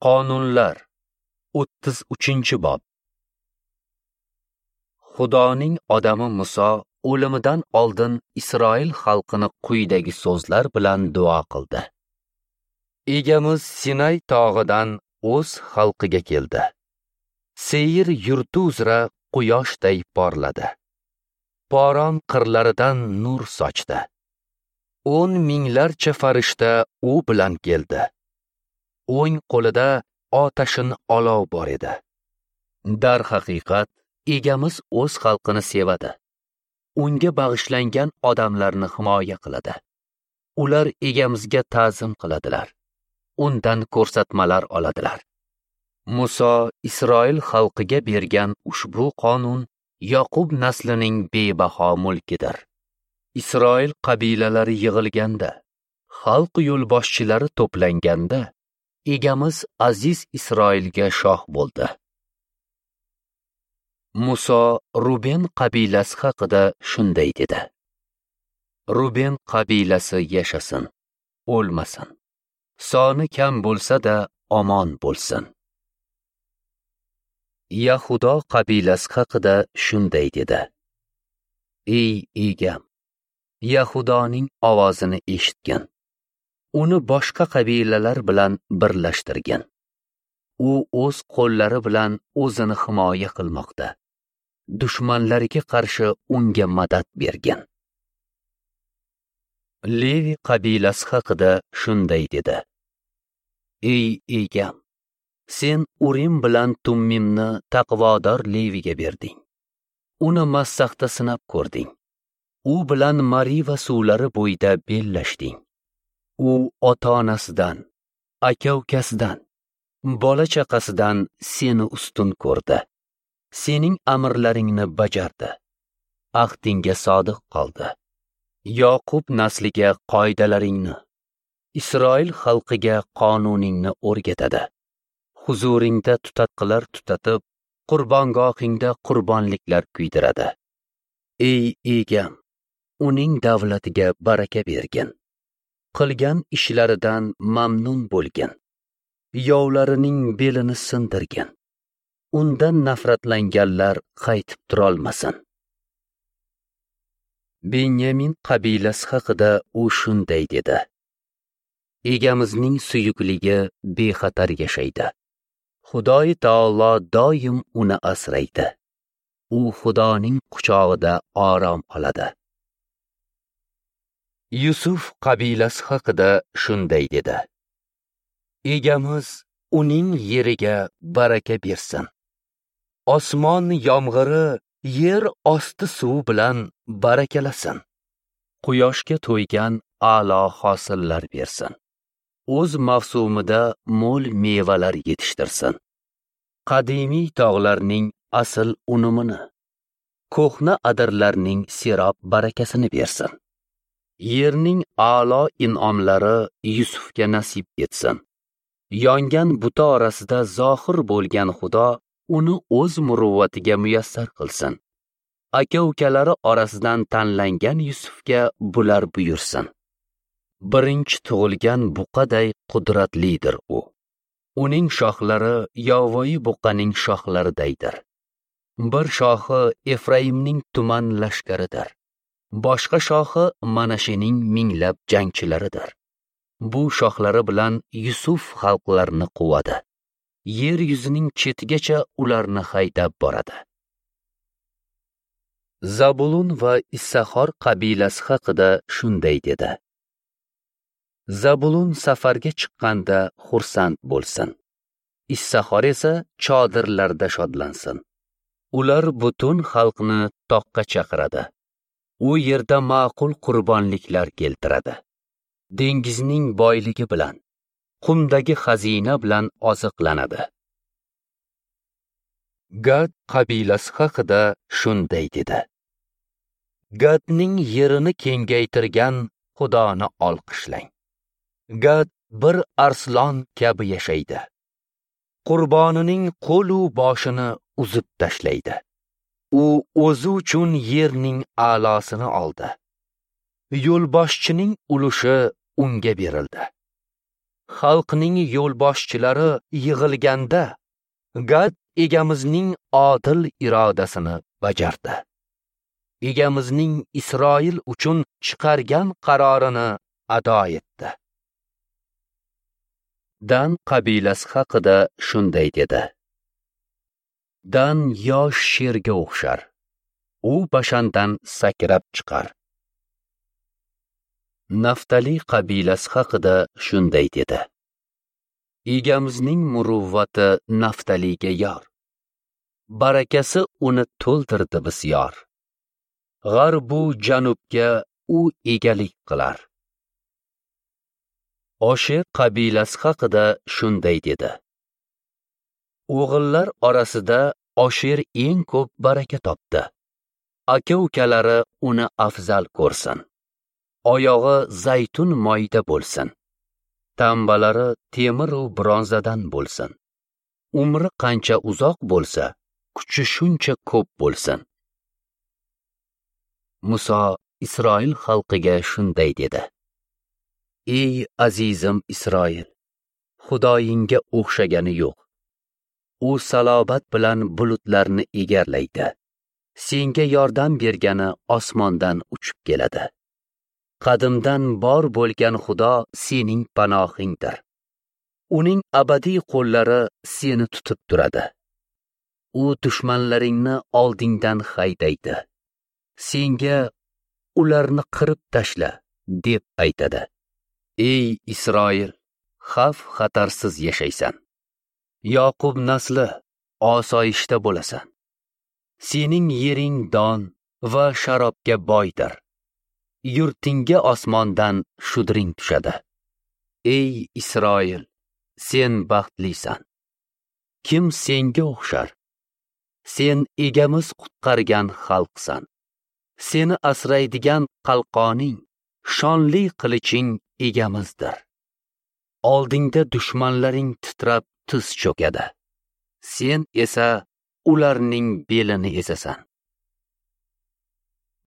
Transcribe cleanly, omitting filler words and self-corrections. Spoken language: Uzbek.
Qonunlar 33-bob. Xudoning odami Muso o'limidan oldin Isroil xalqini quyidagi so'zlar bilan duo qildi. Egamiz Sinay tog'idan o'z xalqiga keldi. Seyir yurti uzra quyoshday porladi. Poron qirlaridan nur sochdi. 10 minglarcha farishta u bilan keldi. O'ng qo'lida otashin olov bor edi. Darhaqiqat, egamiz o'z xalqini sevadi. Unga bag'ishlangan odamlarni himoya qiladi. Ular egamizga ta'zim qiladilar. Undan ko'rsatmalar oladilar. Muso Isroil xalqiga bergan ushbu qonun Yoqub naslining bebaho mulkidir. Isroil qabilalari yig'ilganda, xalq yo'lboshchilari to'planganda, egamiz aziz Isroilga shoh bo'ldi. Muso Ruben qabilasi haqida shunday dedi: Ruben qabilasi yashasin, o'lmasin. Soni kam bo'lsa-da omon bo'lsin. Yahudo qabilasi haqida shunday dedi: Ey egam, Yahudoning ovozini eshitgin. Uni boshqa qabilalar bilan birlashtirgin. U o'z qo'llari bilan o'zini himoya qilmoqda. Dushmanlariga qarshi unga madad bergin. Levi qabilasi haqida shunday dedi: Ey egam, sen Urim bilan Tummimni taqvodor Leviga berding. Uni Massahda sinab ko'rding. U bilan Mariva suvlari bo'yida bellashding. U ota-onasidan, aka-ukasidan, bola-chaqasidan seni ustun ko'rdi. Sening amrlaringni bajardi. Ahdingga sodiq qoldi. Yoqub nasliga qoidalaringni, Isroil xalqiga qonuningni o'rgatadi. Huzuringda tutatqilar tutatib, qurbongohingda qurbonliklar kuydiradi. Ey egam, uning davlatiga baraka bergin. Qilgan ishlaridan mamnun bo'lgin. Yovlarining belini sindirgin. Undan nafratlanganlar qaytib turolmasin. Benyamin qabilasi haqida u shunday dedi: Egamizning suyukligi bexatar yashaydi. Xudoy taolo doim uni asraydi. U Xudoning quchog'ida orom oladi. Yusuf qabilasi haqida shunday dedi: Egamiz uning yeriga baraka bersin. Osmon yomg'iri yer osti suvi bilan barakalasin. Quyoshga to'ygan a'lo hosillar bersin. O'z mavsumida mo'l mevalar yetishtirsin. Qadimiy tog'larning asl unumini, ko'hna adirlarning serob barakasini bersin. Yerning a'lo in'omlari Yusufga nasib etsin. Yongan buta orasida zohir bo'lgan Xudo uni o'z muruvvatiga muyassar qilsin. Aka-ukalari orasidan tanlangan Yusufga bular buyursin. Birinchi tug'ilgan buqaday qudratlidir u. Uning shoxlari yovvoyi buqaning shoxlaridaydir. Bir shoxi Efraimning tuman lashkaridir. Boshqa shoxi Manashening minglab jangchilaridir. Bu shoxlari bilan Yusuf xalqlarni quvadi. Yer yuzining chetigacha ularni haydab boradi. Zabulun va Issahor qabilasi haqida shunday dedi: Zabulun safarga chiqqanda xursand bo'lsin. Issahor esa chodirlarda shodlansin. Ular butun xalqni toqqa chaqiradi. U yerda ma'qul qurbonliklar keltiradi. Dengizning boyligi bilan, qumdagi xazina bilan oziqlanadi. Gad qabilasi haqida shunday dedi: Gadning yerini kengaytirgan Xudoni olqishlang. Gad bir arslon kabi yashaydi. Qurbonining qo'lu boshini uzib tashlaydi. U o'zi uchun yerning a'losini oldi. Yo'lboshchining ulushi unga berildi. Xalqning yo'lboshchilari yig'ilganda Gad Egamizning odil irodasini bajardi. Egamizning Isroil uchun chiqargan qarorini ado etdi. Dan qabilasi haqida shunday dedi: Dan yosh sherga o'xshar. U Bashandan sakrab chiqar. Naftali qabilasi haqida shunday dedi: Egamizning muruvvati Naftaliga yor. Barakasi uni to'ldirdi bisyor. G'arbu janubga u egalik qilar. Osher qabilasi haqida shunday dedi: O'g'illar orasida Osher eng ko'p baraka topdi. Aka-ukalari uni afzal ko'rsin. Oyog'i zaytun moyida bo'lsin. Tambalari temir u bronzadan bo'lsin. Umri qancha uzoq bo'lsa, kuchi shuncha ko'p bo'lsin. Muso Isroil xalqiga shunday dedi: Ey azizim Isroil, Xudoyingga o'xshagani yo'q. U salobat bilan bulutlarni egarlaydi. Senga yordam bergani osmondan uchib keladi. Qadimdan bor bo'lgan Xudo sening panohingdir. Uning abadiy qo'llari seni tutib turadi. U dushmanlaringni oldingdan haydaydi. Senga ularni qirib tashla deb aytadi. Ey Isroil, xavf xatarsiz yashaysan. Yoqub nasli, osoyishta bo'lasan. Sening yering don va sharobga boydir. Yurtingga osmondan shudring tushadi. Ey Isroil, sen baxtlisan. Kim senga o'xshar? Sen Egamiz qutqargan xalqsan. Seni asraydigan qalqoning, shonli qiliching Egamizdir. Oldingda dushmanlaring titrab tiz cho'kadi. Sen esa ularning belini ezasan.